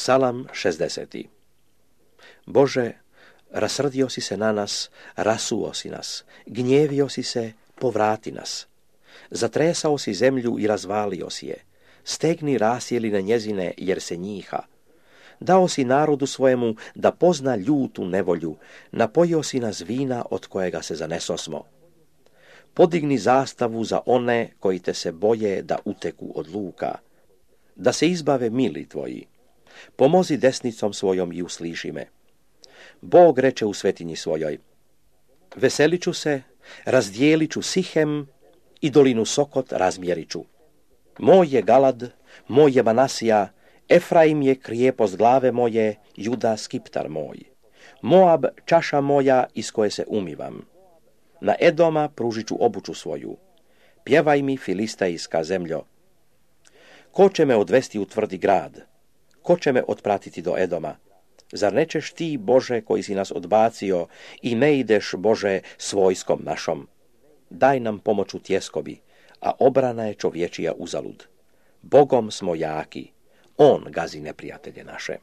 Psalam 60. Bože, rasrdio si se na nas, rasuo si nas, gnjevio si se, povrati nas. Zatresao si zemlju i razvalio si je, stegni rasjeli na njezine jer se njiha. Dao si narodu svojemu da pozna ljutu nevolju, napojio si nas vina od kojega se zanesosmo. Podigni zastavu za one koji te se boje da uteku od luka, da se izbave mili tvoji. Pomozi desnicom svojom i usliši me. Bog reče u svetinji svojoj, veselit ću se, razdijelit ću Sihem i dolinu Sokot razmjerit ću. Moj je Galad, moj je Manasija, Efraim je krijepost glave moje, Juda skiptar moj. Moab čaša moja iz koje se umivam. Na Edoma pružit ću obuću svoju. Pjevaj mi, filistejska zemljo. Ko će me odvesti u tvrdi grad? Ko će me otpratiti do Edoma? Zar nećeš ti, Bože, koji si nas odbacio, i ne ideš, Bože, s vojskom našom? Daj nam pomoć u tjeskobi, a obrana je čovječija uzalud. Bogom smo jaki, on gazi neprijatelje naše.